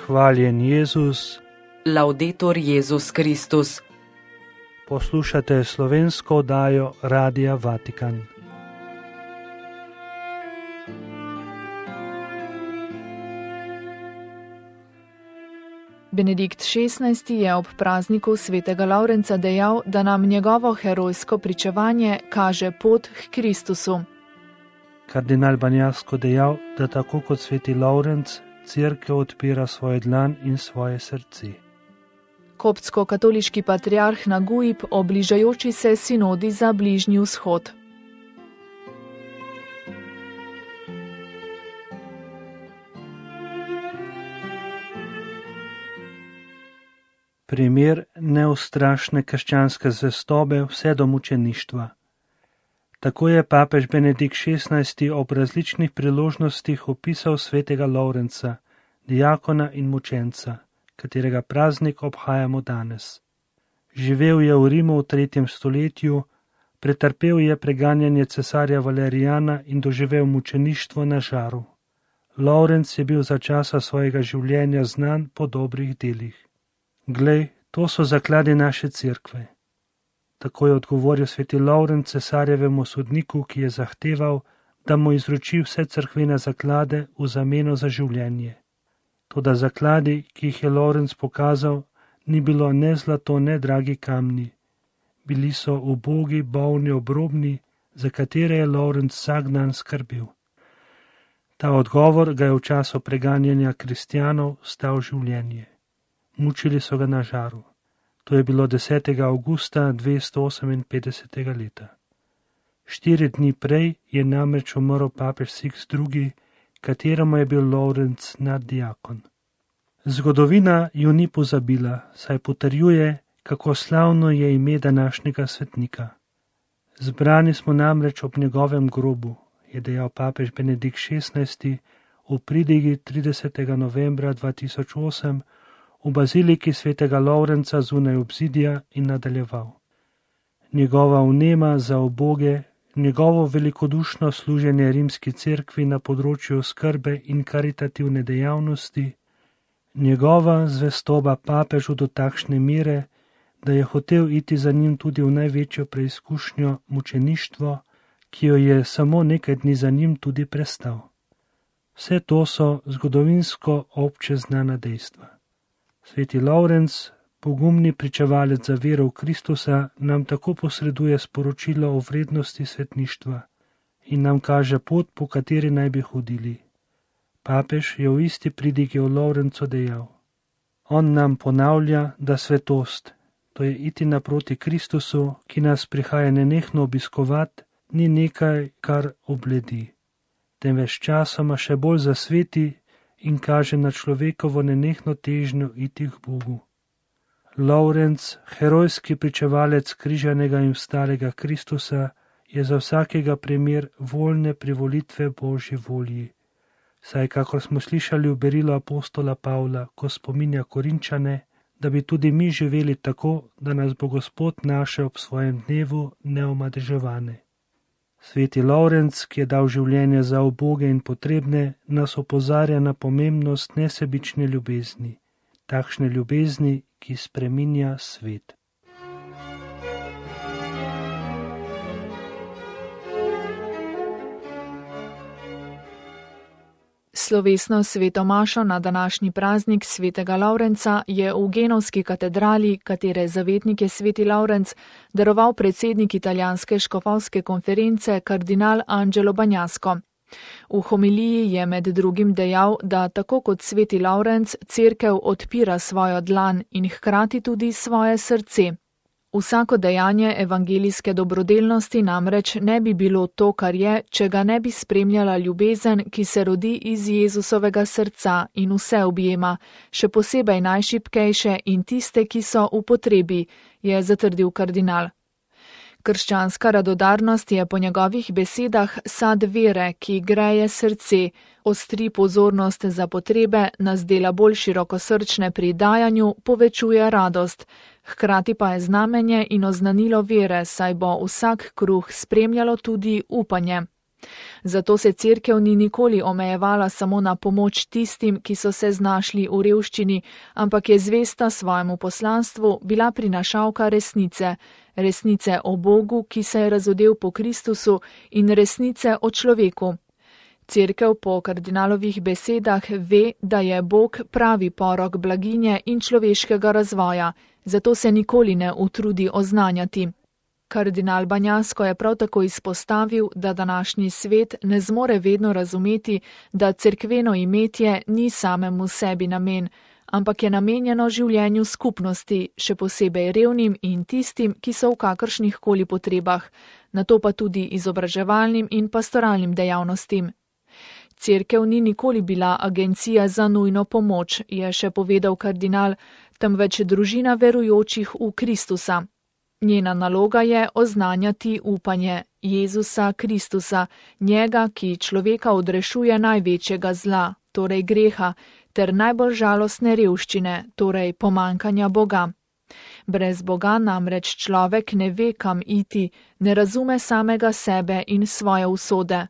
Hvaljen Jezus. Laudetur Jezus Kristus. Poslušate slovensko oddajo Radia Vatikan. Benedikt XVI. Je ob prazniku svetega Lavrenca dejal, da nam njegovo herojsko pričevanje kaže pot k Kristusu. Kardinal Banjasko dejal, da tako kot sveti Lavrenc, Cerkev odpira svoj dlan in svoje srce. Koptsko-katoliški patriarh Naguib o bližajoči se sinodi za Bližnji vzhod. Primer neustrašne krščanske zvestobe vse do mučeništva. Tako je papež Benedikt XVI. Ob različnih priložnostih opisal svetega Lavrenca, diakona in mučenca, katerega praznik obhajamo danes. Živel je v Rimu v 3. stoletju, pretrpel je preganjanje cesarja Valerijana in doživel mučeništvo na žaru. Lavrenc je bil za časa svojega življenja znan po dobrih delih. Glej, to so zakladi naše cerkve. Tako je odgovoril sveti Lavrenc cesarjevemu sodniku, ki je zahteval, da mu izroči vse cerkvene zaklade v zameno za življenje. Toda zakladi, ki jih je Lavrenc pokazal, ni bilo ne zlato, ne dragi kamni. Bili so ubogi, bolni, obrobni, za katere je Lavrenc vsak dan skrbel. Ta odgovor ga je v času preganjanja kristjanov stal življenje. Mučili so ga na žaru. To je bilo 10. avgusta 258. leta. 4 dni prej je namreč umrl papež Sixt II., kateremu je bil Lavrenc naddiakon. Zgodovina ju ni pozabila, saj potrjuje, kako slavno je ime današnjega svetnika. Zbrani smo namreč ob njegovem grobu, je dejal papež Benedikt XVI. V pridigi 30. novembra 2008 v baziliki svetega Lavrenca zunaj obzidja in nadaljeval. Njegova vnema za uboge, njegovo velikodušno služenje rimski cerkvi na področju skrbe in karitativne dejavnosti, njegova zvestoba papežu do takšne mere, da je hotel iti za njim tudi v največjo preizkušnjo mučeništvo, ki jo je samo nekaj dni za njim tudi prestal. Vse to so zgodovinsko obče znana dejstva. Sveti Lavrenc, pogumni pričevalec za vero v Kristusa, nam tako posreduje sporočilo o vrednosti svetništva in nam kaže pot, po kateri naj bi hodili. Papež je v isti pridigi o Lavrencu dejal: On nam ponavlja, da svetost, to je iti naproti Kristusu, ki nas prihaja nenehno obiskovat, ni nekaj, kar obledi, temveč časoma še bolj zasveti in kaže na človekovo nenehno težnjo iti k Bogu. Lavrenc, herojski pričevalec križanega in vstalega Kristusa, je za vsakega primer voljne privolitve Božji volji. Saj, kakor smo slišali v berilu apostola Pavla, ko spominja Korinčane, da bi tudi mi živeli tako, da nas bo Gospod našel ob svojem dnevu neomadeževane. Sveti Lavrenc, ki je dal življenje za uboge in potrebne, nas opozarja na pomembnost nesebične ljubezni, takšne ljubezni, ki spreminja svet. Slovesno sveto mašo na današnji praznik svetega Lavrenca je v Genovski katedrali, katere zavetnik je sveti Lavrenc, daroval predsednik italijanske škofovske konference kardinal Angelo Banjasko. V homiliji je med drugim dejal, da tako kot sveti Lavrenc cerkev odpira svojo dlan in hkrati tudi svoje srce. Vsako dejanje evangelijske dobrodelnosti namreč ne bi bilo to, kar je, če ga ne bi spremljala ljubezen, ki se rodi iz Jezusovega srca in vse objema, še posebej najšibkejše in tiste, ki so v potrebi, je zatrdil kardinal. Krščanska radodarnost je po njegovih besedah sad vere, ki greje srce, ostri pozornost za potrebe, nas dela bolj širokosrčne pri dajanju, povečuje radost. Hkrati pa je znamenje in oznanilo vere, saj bo vsak kruh spremljalo tudi upanje. Zato se cerkev ni nikoli omejevala samo na pomoč tistim, ki so se znašli v revščini, ampak je zvesta svojemu poslanstvu bila prinašalka resnice, resnice o Bogu, ki se je razodel po Kristusu, in resnice o človeku. Cerkev po kardinalovih besedah ve, da je Bog pravi porok blaginje in človeškega razvoja, zato se nikoli ne utrudi oznanjati. Kardinal Banjasko je prav tako izpostavil, da današnji svet ne zmore vedno razumeti, da cerkveno imetje ni samemu sebi namen, ampak je namenjeno življenju skupnosti, še posebej revnim in tistim, ki so v kakršnih koli potrebah, nato pa tudi izobraževalnim in pastoralnim dejavnostim. Cerkev ni nikoli bila agencija za nujno pomoč, je še povedal kardinal, temveč družina verujočih v Kristusa. Njena naloga je oznanjati upanje Jezusa Kristusa, njega, ki človeka odrešuje največjega zla, torej greha, ter najbolj žalostne revščine, torej pomankanja Boga. Brez Boga namreč človek ne ve, kam iti, ne razume samega sebe in svoje usode.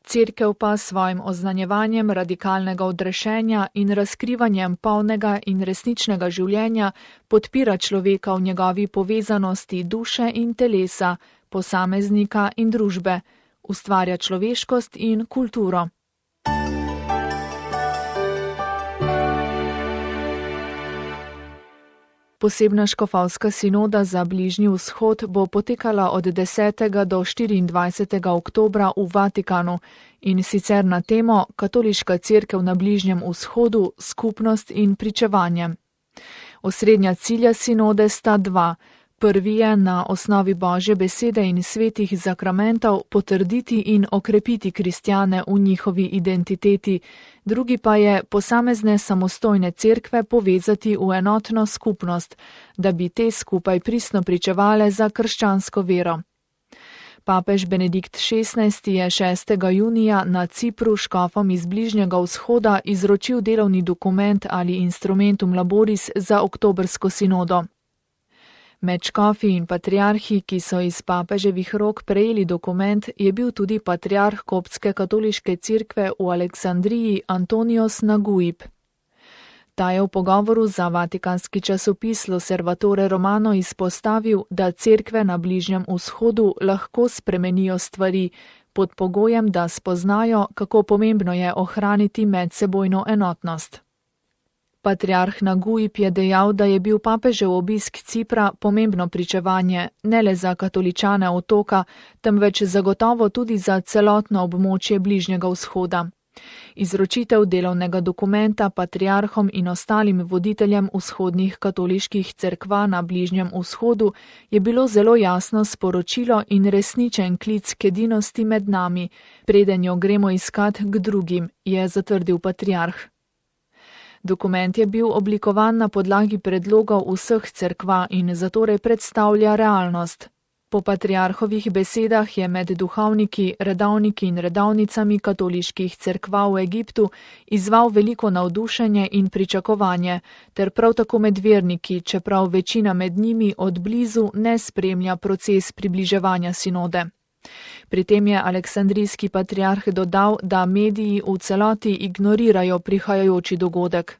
Cerkev pa s svojim oznanjevanjem radikalnega odrešenja in razkrivanjem polnega in resničnega življenja podpira človeka v njegovi povezanosti duše in telesa, posameznika in družbe, ustvarja človeškost in kulturo. Posebna škofovska sinoda za Bližnji vzhod bo potekala od 10. do 24. oktobra v Vatikanu in sicer na temo Katoliška cerkev na Bližnjem vzhodu, skupnost in pričevanje. Osrednja cilja sinode sta dva. Prvi je na osnovi Božje besede in svetih zakramentov potrditi in okrepiti kristjane v njihovi identiteti, drugi pa je posamezne samostojne cerkve povezati v enotno skupnost, da bi te skupaj pristno pričevale za krščansko vero. Papež Benedikt XVI je 6. junija na Cipru škofom iz Bližnjega vzhoda izročil delovni dokument ali instrumentum laboris za oktobrsko sinodo. Med škofi in patriarhi, ki so iz papeževih rok prejeli dokument, je bil tudi patriarh koptske katoliške cerkve v Aleksandriji Antonios Naguib. Ta je v pogovoru za vatikanski časopis L'Osservatore Romano izpostavil, da cerkve na Bližnjem vzhodu lahko spremenijo stvari, pod pogojem, da spoznajo, kako pomembno je ohraniti medsebojno enotnost. Patriarh Naguib je dejal, da je bil papežev obisk Cipra pomembno pričevanje, ne le za katoličane otoka, temveč zagotovo tudi za celotno območje Bližnjega vzhoda. Izročitev delovnega dokumenta patriarhom in ostalim voditeljem vzhodnih katoliških cerkva na Bližnjem vzhodu je bilo zelo jasno sporočilo in resničen klic k edinosti med nami, preden jo gremo iskat k drugim, je zatrdil patriarh. Dokument je bil oblikovan na podlagi predlogov vseh cerkva in zatorej predstavlja realnost. Po patriarhovih besedah je med duhovniki, redovniki in redovnicami katoliških cerkva v Egiptu izval veliko navdušenje in pričakovanje, ter prav tako med verniki, čeprav večina med njimi od blizu ne spremlja proces približevanja sinode. Pri tem je aleksandrijski patriarh dodal, da mediji v celoti ignorirajo prihajajoči dogodek.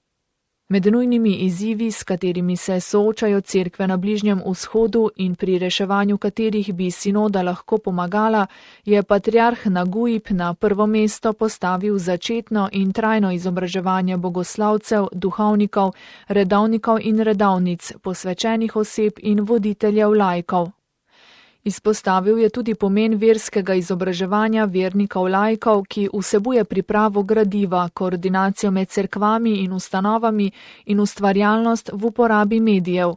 Med nujnimi izzivi, s katerimi se soočajo cerkve na Bližnjem vzhodu in pri reševanju katerih bi sinoda lahko pomagala, je patriarh Naguib na prvo mesto postavil začetno in trajno izobraževanje bogoslavcev, duhovnikov, redovnikov in redovnic, posvečenih oseb in voditeljev laikov. Izpostavil je tudi pomen verskega izobraževanja vernikov laikov, ki vsebuje pripravo gradiva, koordinacijo med cerkvami in ustanovami in ustvarjalnost v uporabi medijev.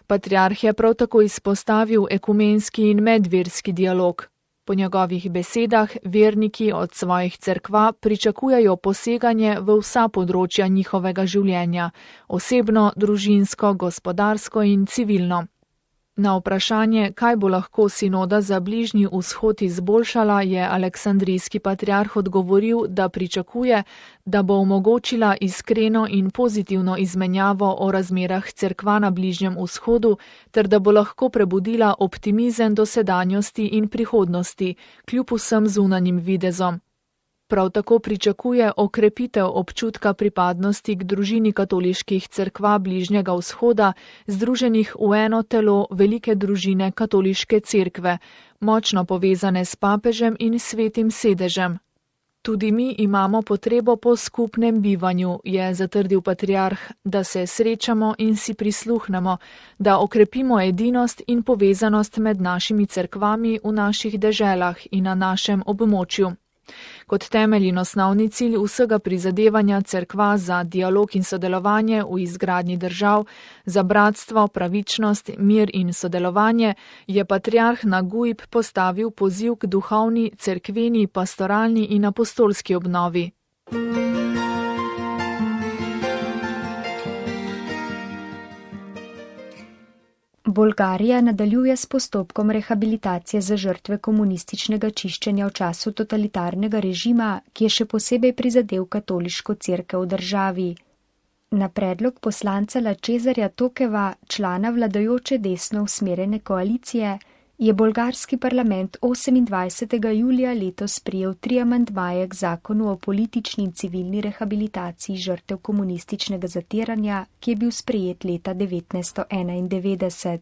Patriarh je prav tako izpostavil ekumenski in medverski dialog. Po njegovih besedah verniki od svojih cerkva pričakujejo poseganje v vsa področja njihovega življenja, osebno, družinsko, gospodarsko in civilno. Na vprašanje, kaj bo lahko sinoda za Bližnji vzhod izboljšala, je aleksandrijski patriarh odgovoril, da pričakuje, da bo omogočila iskreno in pozitivno izmenjavo o razmerah cerkva na Bližnjem vzhodu, ter da bo lahko prebudila optimizem do sedanjosti in prihodnosti, kljub vsem zunanjim videzom. Prav tako pričakuje okrepitev občutka pripadnosti k družini katoliških cerkva Bližnjega vzhoda, združenih v eno telo velike družine katoliške cerkve, močno povezane s papežem in svetim sedežem. Tudi mi imamo potrebo po skupnem bivanju, je zatrdil patriarh, da se srečamo in si prisluhnemo, da okrepimo edinost in povezanost med našimi cerkvami v naših deželah in na našem območju. Kot temelj in osnovni cilj vsega prizadevanja cerkva za dialog in sodelovanje v izgradnji držav, za bratstvo, pravičnost, mir in sodelovanje, je patriarh na Guib postavil poziv k duhovni, cerkveni, pastoralni in apostolski obnovi. Bolgarija nadaljuje s postopkom rehabilitacije za žrtve komunističnega čiščenja v času totalitarnega režima, ki je še posebej prizadel katoliško cerkev v državi. Na predlog poslanca Lačezarja Tokeva, člana vladajoče desno usmerjene koalicije, je bolgarski parlament 28. julija letos sprejel 3 amandmaje k zakonu o politični in civilni rehabilitaciji žrtev komunističnega zatiranja, ki je bil sprejet leta 1991.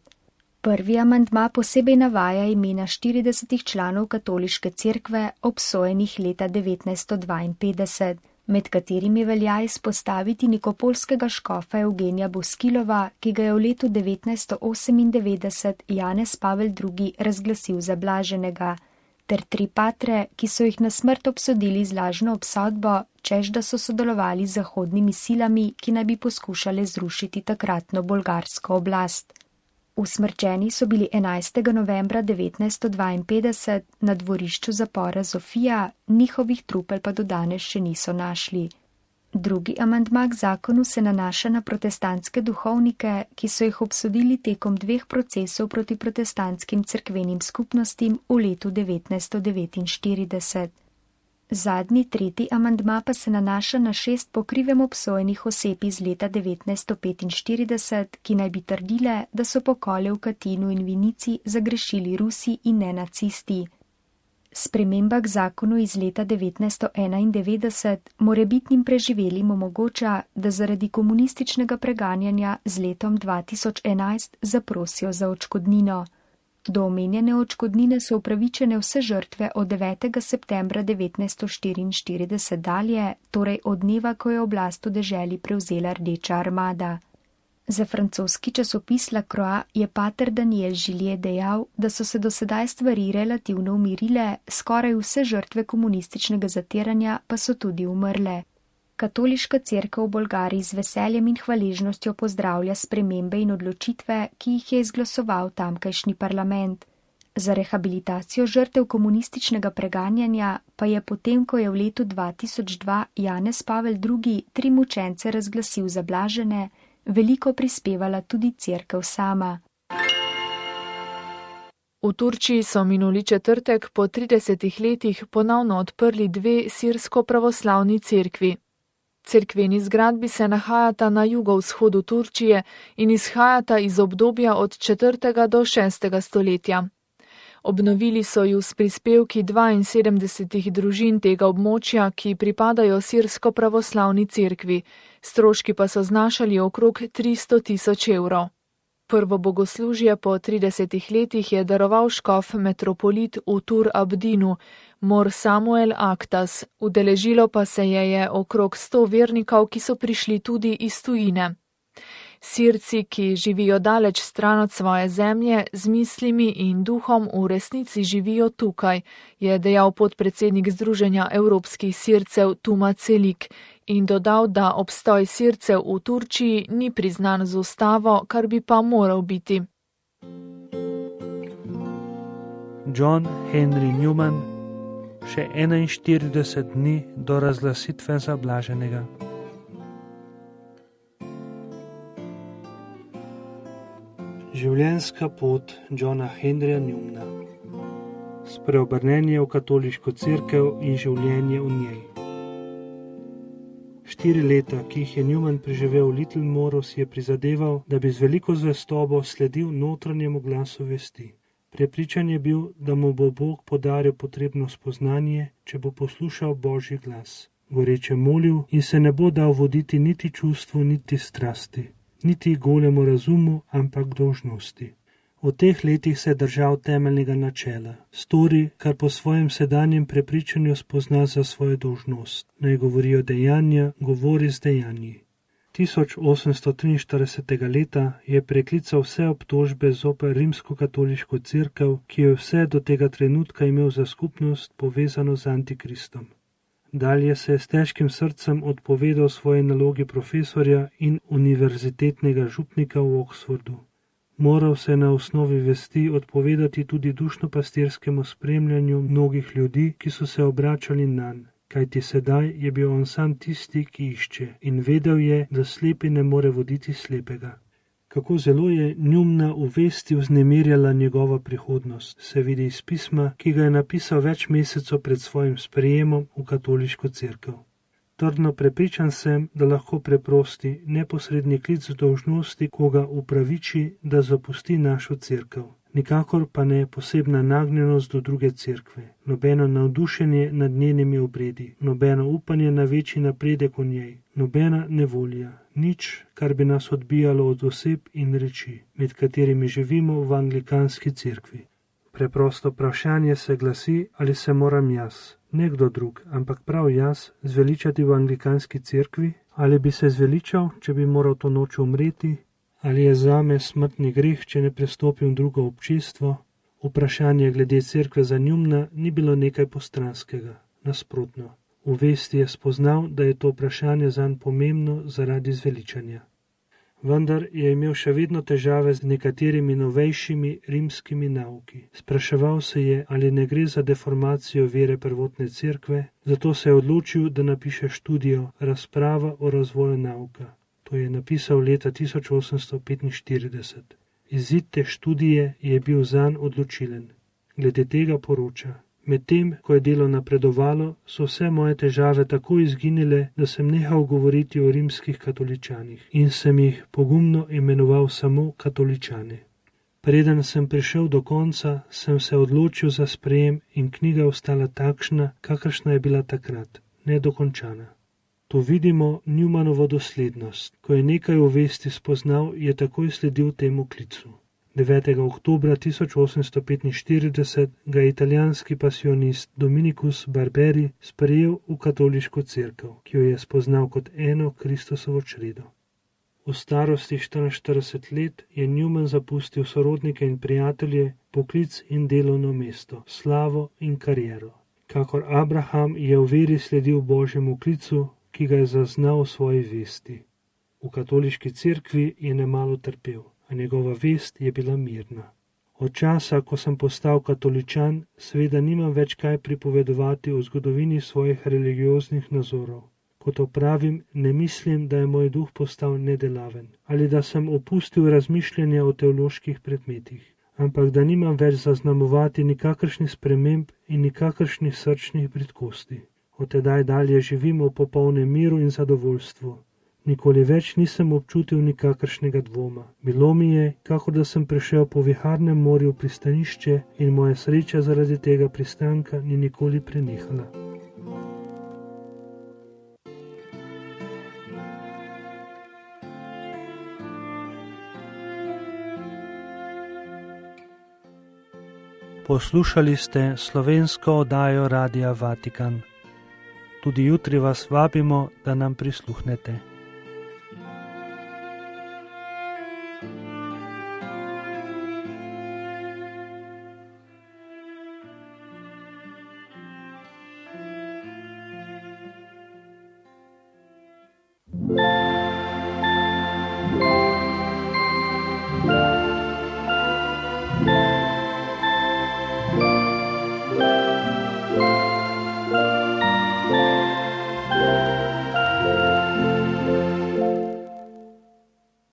Prvi amandma posebej navaja imena 40 članov katoliške cerkve obsojenih leta 1952, med katerimi velja izpostaviti nikopolskega škofa Evgenija Boskilova, ki ga je v letu 1998 Janez Pavel II. Razglasil za blaženega, ter 3 patre, ki so jih na smrt obsodili z lažno obsodbo, češ da so sodelovali z zahodnimi silami, ki naj bi poskušale zrušiti takratno bolgarsko oblast. Usmrčeni so bili 11. novembra 1952 na dvorišču zapora Zofija, njihovih trupel pa do danes še niso našli. Drugi amandma k zakonu se nanaša na protestantske duhovnike, ki so jih obsodili tekom 2 procesov proti protestantskim cerkvenim skupnostim v letu 1949. Zadnji, 3. amandma pa se nanaša na 6 po krivem obsojenih oseb iz leta 1945, ki naj bi trdile, da so pokole v Katinu in Vinici zagrešili Rusi in ne nacisti. Sprememba k zakonu iz leta 1991 morebitnim preživelim omogoča, da zaradi komunističnega preganjanja z letom 2011 zaprosijo za odškodnino. Do omenjene odškodnine so upravičene vse žrtve od 9. septembra 1944 dalje, torej od dneva, ko je oblast v deželi prevzela Rdeča armada. Za francoski časopis La Croix je pater Daniel Žilje dejal, da so se do sedaj stvari relativno umirile, skoraj vse žrtve komunističnega zatiranja pa so tudi umrle. Katoliška cerkev v Bolgariji z veseljem in hvaležnostjo pozdravlja spremembe in odločitve, ki jih je izglasoval tamkajšnji parlament. Za rehabilitacijo žrtev komunističnega preganjanja pa je potem, ko je v letu 2002 Janez Pavel II. 3 mučence razglasil za blažene, veliko prispevala tudi cerkev sama. V Turčiji so minuli četrtek po 30 letih ponovno odprli 2 sirsko-pravoslavni cerkvi. Cerkveni zgradbi se nahajata na jugovzhodu Turčije in izhajata iz obdobja od 4. do 6. stoletja. Obnovili so ju s prispevki 72 družin tega območja, ki pripadajo sirsko-pravoslavni cerkvi, stroški pa so znašali okrog 300.000 evrov. Prvo bogoslužje po 30 letih je daroval škof metropolit v Tur Abdinu, Mor Samuel Aktas, udeležilo pa se je okrog 100 vernikov, ki so prišli tudi iz tujine. Sirci, ki živijo daleč stran od svoje zemlje, z mislimi in duhom v resnici živijo tukaj, je dejal podpredsednik Združenja evropskih Sircev Tuma Celik in dodal, da obstoj Sircev v Turčiji ni priznan z ustavo, kar bi pa moral biti. John Henry Newman, še 41 dni do razglasitve za blaženega. Življenjska pot Johna Henryja Newmana. Spreobrnenje v katoliško cerkev in življenje v njej. 4 leta, ki jih je Newman preživel v Littlemoru, si je prizadeval, da bi z veliko zvestobo sledil notranjemu glasu vesti. Prepričan je bil, da mu bo Bog podaril potrebno spoznanje, če bo poslušal Božji glas. Goreče molil in se ne bo dal voditi niti čustvu, niti strasti, niti golemu razumu, ampak dolžnosti. V teh letih se je držal temeljnega načela. Stori, kar po svojem sedanjem prepričanju spozna za svojo dolžnost. Naj govorijo dejanja, govori z dejanji. 1843. leta je preklical vse obtožbe zoper rimsko-katoliško cerkev, ki jo vse do tega trenutka imel za skupnost povezano z Antikristom. Dalje se je s težkim srcem odpovedal svoji nalogi profesorja in univerzitetnega župnika v Oxfordu. Moral se na osnovi vesti odpovedati tudi dušno-pastirskemu spremljanju mnogih ljudi, ki so se obračali nanj, kajti sedaj je bil on sam tisti, ki išče, in vedel je, da slepi ne more voditi slepega. Kako zelo je Newmana v vesti vznemirjala njegova prihodnost, se vidi iz pisma, ki ga je napisal več mesecev pred svojim sprejemom v katoliško cerkev. Trdno prepričan sem, da lahko preprosti, neposredni klic dolžnosti koga upraviči, da zapusti našo cerkev. Nikakor pa ne posebna nagnjenost do druge cerkve, nobeno navdušenje nad njenimi obredi, nobeno upanje na večji napredek v njej, nobena nevolja, nič, kar bi nas odbijalo od oseb in reči, med katerimi živimo v anglikanski cerkvi. Preprosto vprašanje se glasi, ali se moram jaz, ne kdo drug, ampak prav jaz, zveličati v anglikanski cerkvi, ali bi se zveličal, če bi moral to noč umreti, ali je zame smrtni greh, če ne prestopim drugo občestvo. Vprašanje glede cerkve za Newmana ni bilo nekaj postranskega, nasprotno. V vesti je spoznal, da je to vprašanje zanj pomembno zaradi zveličanja. Vendar je imel še vedno težave z nekaterimi novejšimi rimskimi nauki. Spraševal se je, ali ne gre za deformacijo vere prvotne cerkve, zato se je odločil, da napiše študijo Razprava o razvoju nauka. To je napisal leta 1845. Izid te študije je bil zanj odločilen. Glede tega poroča: medtem, ko je delo napredovalo, so vse moje težave tako izginile, da sem nehal govoriti o rimskih katoličanih in sem jih pogumno imenoval samo katoličane. Preden sem prišel do konca, sem se odločil za sprejem in knjiga ostala takšna, kakršna je bila takrat, nedokončana. Tu vidimo Newmanovo doslednost. Ko je nekaj v vesti spoznal, je takoj sledil temu klicu. 9. oktobra 1845 ga je italijanski pasionist Dominikus Barberi sprejel v katoliško cerkev, ki jo je spoznal kot eno Kristusovo čredo. V starosti 44 let je Newman zapustil sorodnike in prijatelje, poklic in delovno mesto, slavo in kariero. Kakor Abraham je v veri sledil Božjemu klicu, ki ga je zaznal v svoji vesti. V katoliški cerkvi je nemalo trpel, a njegova vest je bila mirna. Od časa, ko sem postal katoličan, seveda nimam več kaj pripovedovati o zgodovini svojih religioznih nazorov. Kot opravim, ne mislim, da je moj duh postal nedelaven, ali da sem opustil razmišljanja o teoloških predmetih, ampak da nimam več zaznamovati nikakršnih sprememb in nikakršnih srčnih bridkosti. Od tedaj dalje živim v popolnem miru in zadovoljstvu. Nikoli več nisem občutil nikakršnega dvoma. Bilo mi je, kakor da sem prišel po viharnem morju v pristanišče in moja sreča zaradi tega pristanka ni nikoli prenehala. Poslušali ste slovensko oddajo Radia Vatikan. Tudi jutri vas vabimo, da nam prisluhnete.